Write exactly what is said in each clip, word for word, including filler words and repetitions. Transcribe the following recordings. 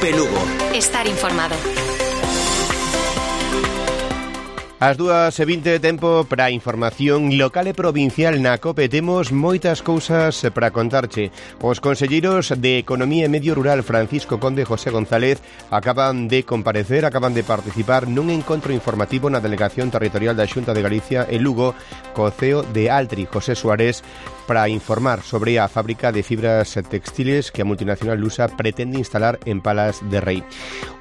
Cope Lugo. Estar informado. As dúas e vinte de tempo para a información local e provincial na COPE. Temos moitas cousas para contarche. Os conselleiros de Economía e Medio Rural Francisco Conde e José González acaban de comparecer, acaban de participar nun encontro informativo na Delegación Territorial da Xunta de Galicia en Lugo co C E O de Altri, José Suárez, para informar sobre a fábrica de fibras textiles que a multinacional lusa pretende instalar en Palas de Rei.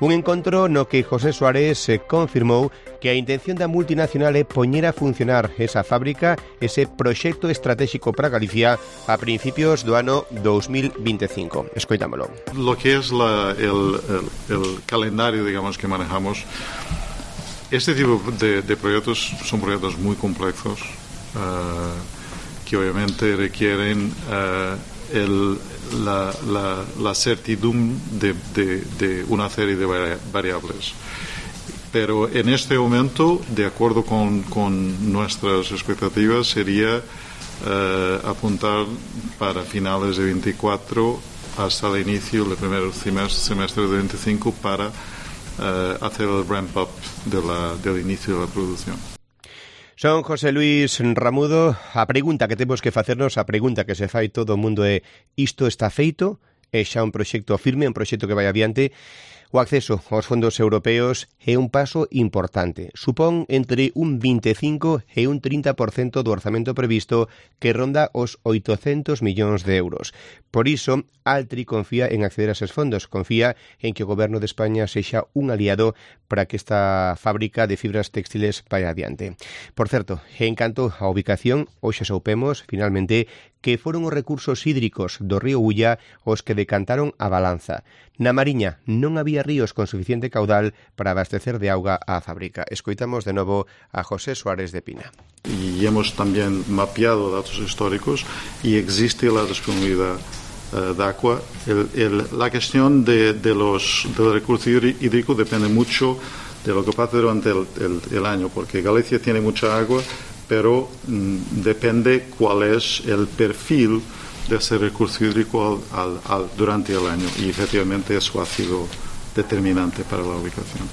Un encontro no que José Suárez confirmou que a intención da multinacional é poñer a funcionar esa fábrica, ese proxecto estratégico para Galicia a principios do ano dos mil veinticinco. Escoitámolo. Lo que es la, el, el, el calendario, digamos, que manejamos, este tipo de, de proyectos son proyectos muy complejos, uh, que obviamente requieren uh, el, la, la, la certidumbre de, de, de una serie de variables. Pero en este momento, de acuerdo con, con nuestras expectativas, sería uh, apuntar para finales de veinticuatro hasta el inicio del primer semestre, semestre de veinticinco para uh, hacer el ramp-up de la, del inicio de la producción. Son José Luis Ramudo. A pregunta que temos que facernos, a pregunta que se fai todo o mundo é: isto está feito? É xa un proxecto firme, un proxecto que vai adiante? O acceso aos fondos europeos é un paso importante. Supón entre un veinticinco e un trinta por cento do orzamento previsto, que ronda os oitocentos millóns de euros. Por iso, Altri confía en acceder a eses fondos, confía en que o Goberno de España sexa un aliado para que esta fábrica de fibras textiles vaya adiante. Por certo, en canto á ubicación, hoxe soupemos, finalmente, que foron os recursos hídricos do río Ulla os que decantaron a balanza. Na Mariña non había ríos con suficiente caudal para abastecer de auga á fábrica. Escoitamos de novo a José Suárez de Pina. Y hemos también mapeado datos históricos y existe la disponibilidad uh, de agua. El, el, la cuestión de, de los, del recurso hídrico depende mucho de lo que pasa durante el, el, el año, porque Galicia tiene mucha agua, pero mm, depende cuál es el perfil de ese recurso hídrico al, al, al, durante el año, y efectivamente eso ha sido determinante para la ubicación.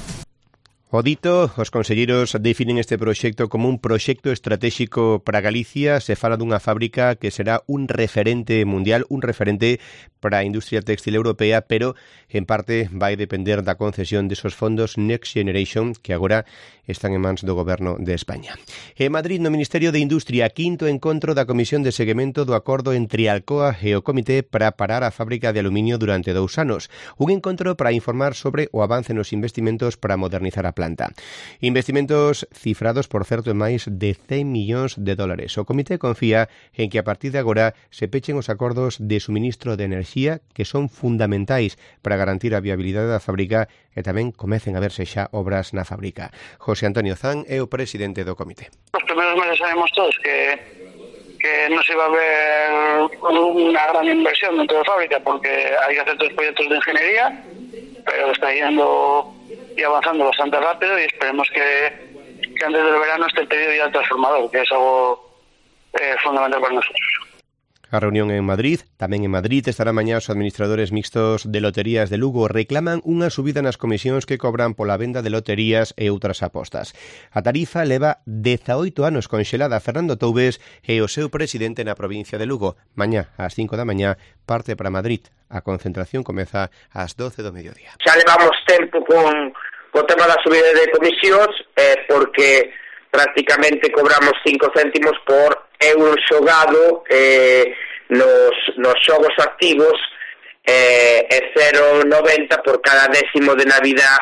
O dito, os conselleiros definen este proxecto como un proxecto estratégico para Galicia. Se fala dunha fábrica que será un referente mundial, un referente para a industria textil europea, pero en parte vai depender da concesión desos fondos Next Generation que agora están en mans do Goberno de España. En Madrid, no Ministerio de Industria, quinto encontro da Comisión de Seguimento do acordo entre Alcoa e o Comité para parar a fábrica de aluminio durante dous anos. Un encontro para informar sobre o avance nos investimentos para modernizar a planta. Investimentos cifrados, por certo, en máis de cen millóns de dólares. O Comité confía en que a partir de agora se pechen os acordos de suministro de enerxía que son fundamentais para garantir a viabilidade da fábrica e tamén comecen a verse xa obras na fábrica. José Antonio Zan é o presidente do Comité. Os primeiros meses sabemos todos que que no se iba a ver unha gran inversión dentro da fábrica porque hai que hacer todos os proyectos de ingeniería, pero está yendo y avanzando bastante rápido y esperemos que, que antes del verano esté el pedido ya del transformador, que es algo eh, fundamental para nosotros. A reunión en Madrid, tamén en Madrid estará mañá os administradores mixtos de loterías de Lugo. Reclaman unha subida nas comisións que cobran pola venda de loterías e outras apostas. A tarifa leva dezaoito anos conxelada. Fernando Toubes e o seu presidente na provincia de Lugo. Mañá, ás cinco da mañá, parte para Madrid. A concentración comeza ás doce do mediodía. Xa levamos tempo con o tema da subida de comisións eh, porque prácticamente cobramos cinco céntimos por euro xogado eh, nos, nos xogos activos eh, e cero noventa por cada décimo de Navidad,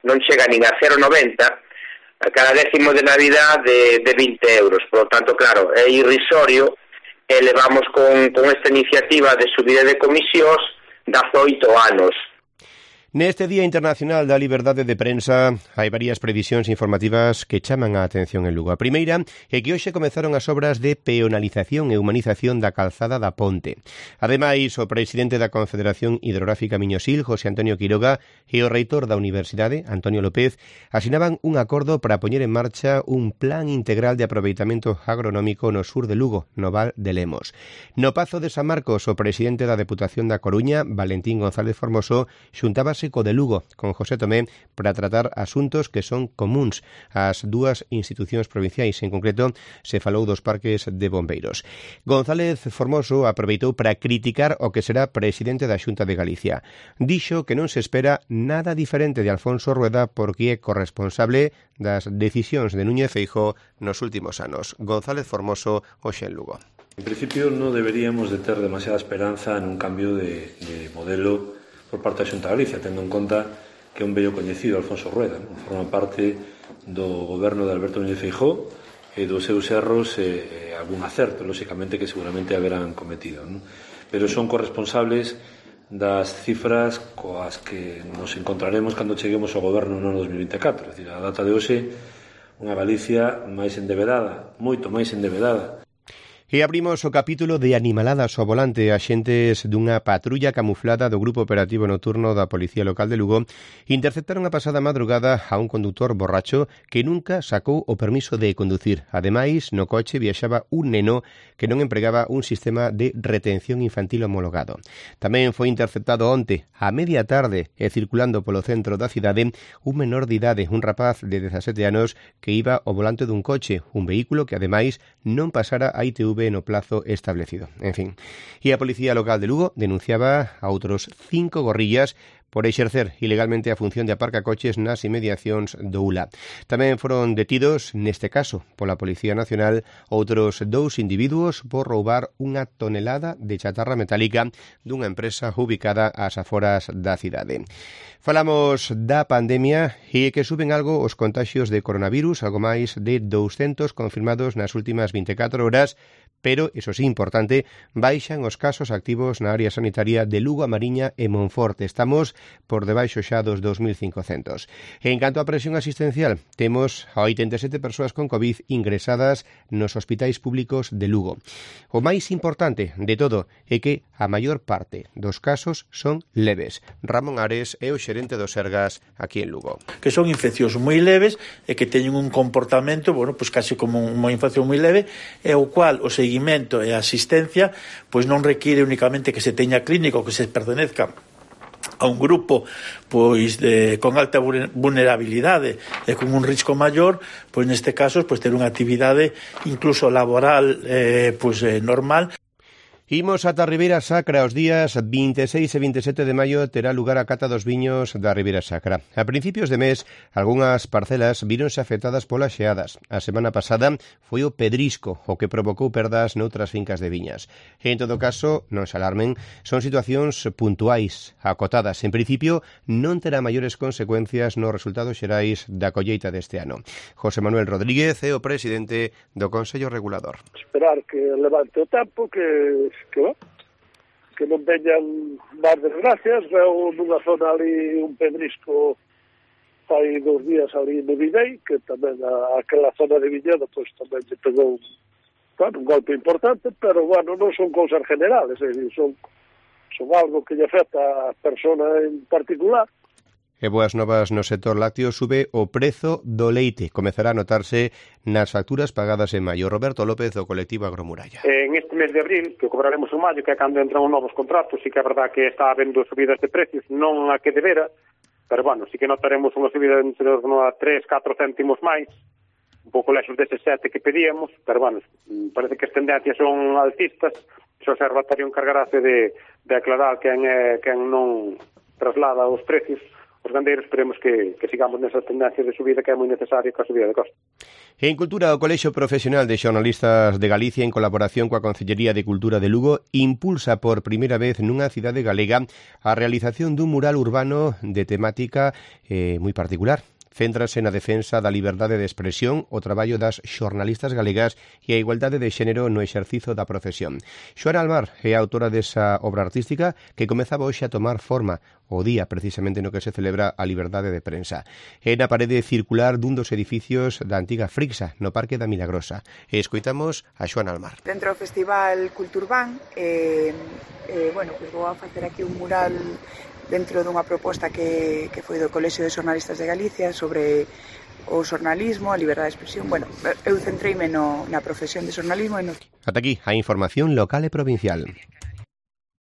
non chega nin a cero noventa, a cada décimo de Navidad de, de vinte euros. Por lo tanto, claro, é irrisorio e levamos con, con esta iniciativa de subida de comisións dezaoito anos. Neste Día Internacional da Liberdade de Prensa hai varias previsións informativas que chaman a atención en Lugo. A primeira é que hoxe comezaron as obras de peonalización e humanización da calzada da Ponte. Ademais, o presidente da Confederación Hidrográfica Miñosil, José Antonio Quiroga, e o reitor da Universidade, Antonio López, asinaban un acordo para poñer en marcha un plan integral de aproveitamento agronómico no sur de Lugo, no Val de Lemos. No Pazo de San Marcos, o presidente da Deputación da Coruña, Valentín González Formoso, xuntábase encontrarse co de Lugo, con José Tomé, para tratar asuntos que son comuns ás dúas institucións provinciais. En concreto, se falou dos parques de bombeiros. González Formoso aproveitou para criticar o que será presidente da Xunta de Galicia. Dixo que non se espera nada diferente de Alfonso Rueda porque é corresponsable das decisións de Núñez Feijóo nos últimos anos. González Formoso, hoxe en Lugo. En principio non deberíamos de ter demasiada esperanza en un cambio de, de modelo por parte da Xunta de Galicia, tendo en conta que é un vello coñecido Alfonso Rueda, non? Forma parte do goberno de Alberto Núñez Feijóo e dos seus erros e, e algún acerto, lóxicamente, que seguramente haberán cometido, non? Pero son corresponsables das cifras coas que nos encontraremos cando cheguemos ao goberno no ano dos mil vinte e catro, é dicir, a data de hoxe, unha Galicia máis endebedada, moito máis endebedada. E abrimos o capítulo de animaladas ao volante. Axentes dunha patrulla camuflada do Grupo Operativo Nocturno da Policía Local de Lugo interceptaron a pasada madrugada a un condutor borracho que nunca sacou o permiso de conducir. Ademais, no coche viaxaba un neno que non empregaba un sistema de retención infantil homologado. Tamén foi interceptado onte, a media tarde, e circulando polo centro da cidade, un menor de idade, un rapaz de dezasete anos que iba ao volante dun coche, un vehículo que ademais non pasara a I T V no plazo establecido. En fin, e a Policía Local de Lugo denunciaba a outros cinco gorrillas por exercer ilegalmente a función de aparcacoches nas inmediacións do U L A. Tamén foron detidos, neste caso, pola Policía Nacional, outros dous individuos por roubar unha tonelada de chatarra metálica dunha empresa ubicada ás aforas da cidade. Falamos da pandemia e que suben algo os contaxios de coronavirus, algo máis de douscentos confirmados nas últimas vinte e catro horas, pero, iso sí, importante, baixan os casos activos na área sanitaria de Lugo, A Mariña e Monforte. Estamos por debaixo xa dos dos mil cincocentos. En canto á presión asistencial, temos a oitenta e sete persoas con COVID ingresadas nos hospitais públicos de Lugo. O máis importante de todo é que a maior parte dos casos son leves. Ramón Ares é o xerente dos Sergas aquí en Lugo. Que son infeccións moi leves e que teñen un comportamento, bueno, pois case como unha infección moi leve, e o cual o seguimento e a asistencia pois non requiere únicamente que se teña clínico, que se pertenezca a un grupo pois de, con alta vulnerabilidade e con un risco maior, pois neste caso pois ter unha actividade incluso laboral eh, pois eh, normal. Imos ata a Ribeira Sacra. Os días vinte e seis e vinte e sete de maio terá lugar a cata dos viños da Ribeira Sacra. A principios de mes, algunhas parcelas víronse afectadas polas xeadas. A semana pasada foi o pedrisco o que provocou perdas noutras fincas de viñas. En todo caso, non se alarmen, son situacións puntuais, acotadas. En principio, non terá maiores consecuencias nos resultados xerais da colleita deste ano. José Manuel Rodríguez é o presidente do Consello Regulador. Esperar que levante o tempo, que que, bueno, que non veñan máis desgracias. Veo nunha zona ali un pedrisco hai dos días ali no Videi, que tamén a, aquela zona de Viñedo pois tamén lle pegou, bueno, un golpe importante, pero bueno, non son cousas generales, é dicir, son, son algo que lle afecta a persona en particular. E boas novas no sector lácteo, sube o prezo do leite. Comezará a notarse nas facturas pagadas en maio. Roberto López, do colectivo Agromuralla. En este mes de abril, que cobraremos en maio, que é cando entran os novos contratos, sí que é verdad que está habendo subidas de precios, non a que debera, pero bueno, sí que notaremos unha subida entre os tres, catro céntimos máis, un pouco lexos deses sete que pedíamos, pero bueno, parece que as tendencias son alcistas. O Observatorio encargarase de, de aclarar quen, é, quen non traslada os precios. Os gandeiros esperemos que, que sigamos nesa tendencia de subida que é moi necesaria coa subida de costos. En Cultura, o Colexio Profesional de Xornalistas de Galicia, en colaboración coa Concellería de Cultura de Lugo, impulsa por primeira vez nunha cidade galega a realización dun mural urbano de temática eh, moi particular. Céntrase na defensa da liberdade de expresión, o traballo das xornalistas galegas e a igualdade de xénero no exercizo da profesión. Xoana Almar é a autora desa obra artística que comezaba hoxe a tomar forma o día precisamente no que se celebra a liberdade de prensa. É na parede circular dun dos edificios da antiga Frixa, no Parque da Milagrosa. E escoitamos a Xoana Almar. Dentro do Festival Culturban, eh, eh, bueno, pues vou a facer aquí un mural dentro dunha proposta que, que foi do Colexio de Xornalistas de Galicia sobre o xornalismo, a liberdade de expresión. Bueno, eu centreime no, na profesión de xornalismo e no... Ata aquí a información local e provincial.